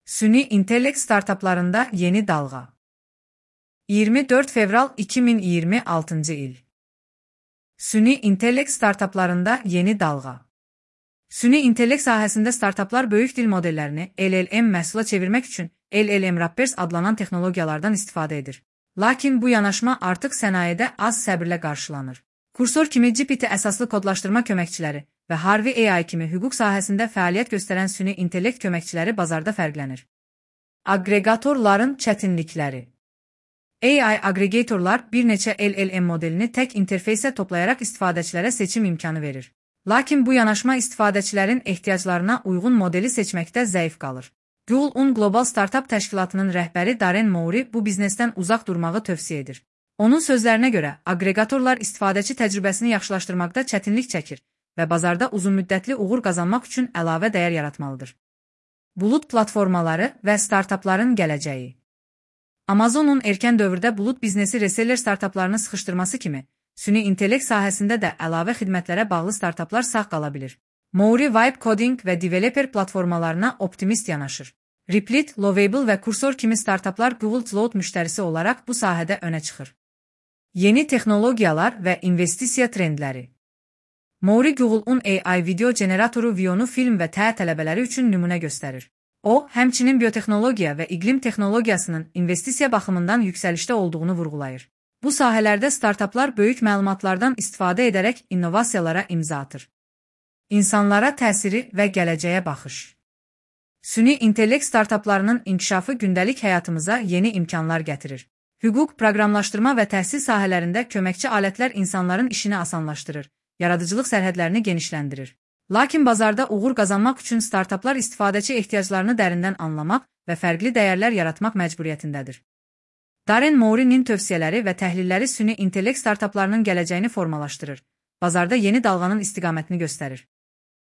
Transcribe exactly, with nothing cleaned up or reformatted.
Süni intellekt startaplarında yeni dalga. iyirmi dört fevral iki bin iyirmi altıncı il. Süni intellekt startaplarında yeni dalga. Süni intellekt sahəsində startaplar böyük dil modellərini L L M məhsula çevirmək üçün L L M Wrappers adlanan texnologiyalardan istifadə edir. Lakin bu yanaşma artıq sənayedə az səbirlə qarşılanır. Kursor kimi G P T əsaslı kodlaşdırma köməkçiləri və Harvey A I kimi hüquq sahəsində fəaliyyət göstərən süni intellekt köməkçiləri bazarda fərqlənir. Aqreqatorların çətinlikləri. A I aqregatorlar bir neçə L L M modelini tək interfeysə toplayaraq istifadəçilərə seçim imkanı verir. Lakin bu yanaşma istifadəçilərin ehtiyaclarına uyğun modeli seçməkdə zəif qalır. Google-un Qlobal Startup təşkilatının rəhbəri Darren Mowry bu biznesdən uzaq durmağı tövsiyə edir. Onun sözlərinə görə, aqreqatorlar istifadəçi təcrübəsini yaxşılaşdırmaqda çətinlik çəkir və bazarda uzunmüddətli uğur qazanmaq üçün əlavə dəyər yaratmalıdır. Bulut platformaları və startapların gələcəyi. Amazonun erkən dövrdə bulut biznesi reseller startaplarını sıxışdırması kimi, süni intellekt sahəsində də əlavə xidmətlərə bağlı startaplar sağ qala bilir. Mowry Vibe Coding və Developer platformalarına optimist yanaşır. Replit, Lovable və Cursor kimi startaplar Google Cloud müştərisi olaraq bu sahədə önə çıxır. Yeni texnologiyalar və investisiya trendləri. Mowry Google-un A I video generatoru Veo-nu film və T tələbələri üçün nümunə göstərir. O, həmçinin biotexnologiya və iqlim texnologiyasının investisiya baxımından yüksəlişdə olduğunu vurğulayır. Bu sahələrdə startaplar böyük məlumatlardan istifadə edərək innovasiyalara imza atır. İnsanlara təsiri və gələcəyə baxış. Süni intellekt startaplarının inkişafı gündəlik həyatımıza yeni imkanlar gətirir. Hüquq, proqramlaşdırma və təhsil sahələrində köməkçi alətlər insanların işini asanlaşdırır, yaradıcılıq sərhədlərini genişləndirir. Lakin bazarda uğur qazanmaq üçün startaplar istifadəçi ehtiyaclarını dərindən anlamaq və fərqli dəyərlər yaratmaq məcburiyyətindədir. Darren Mowry'nin tövsiyələri və təhlilləri süni intellekt startaplarının gələcəyini formalaşdırır, bazarda yeni dalğanın istiqamətini göstərir.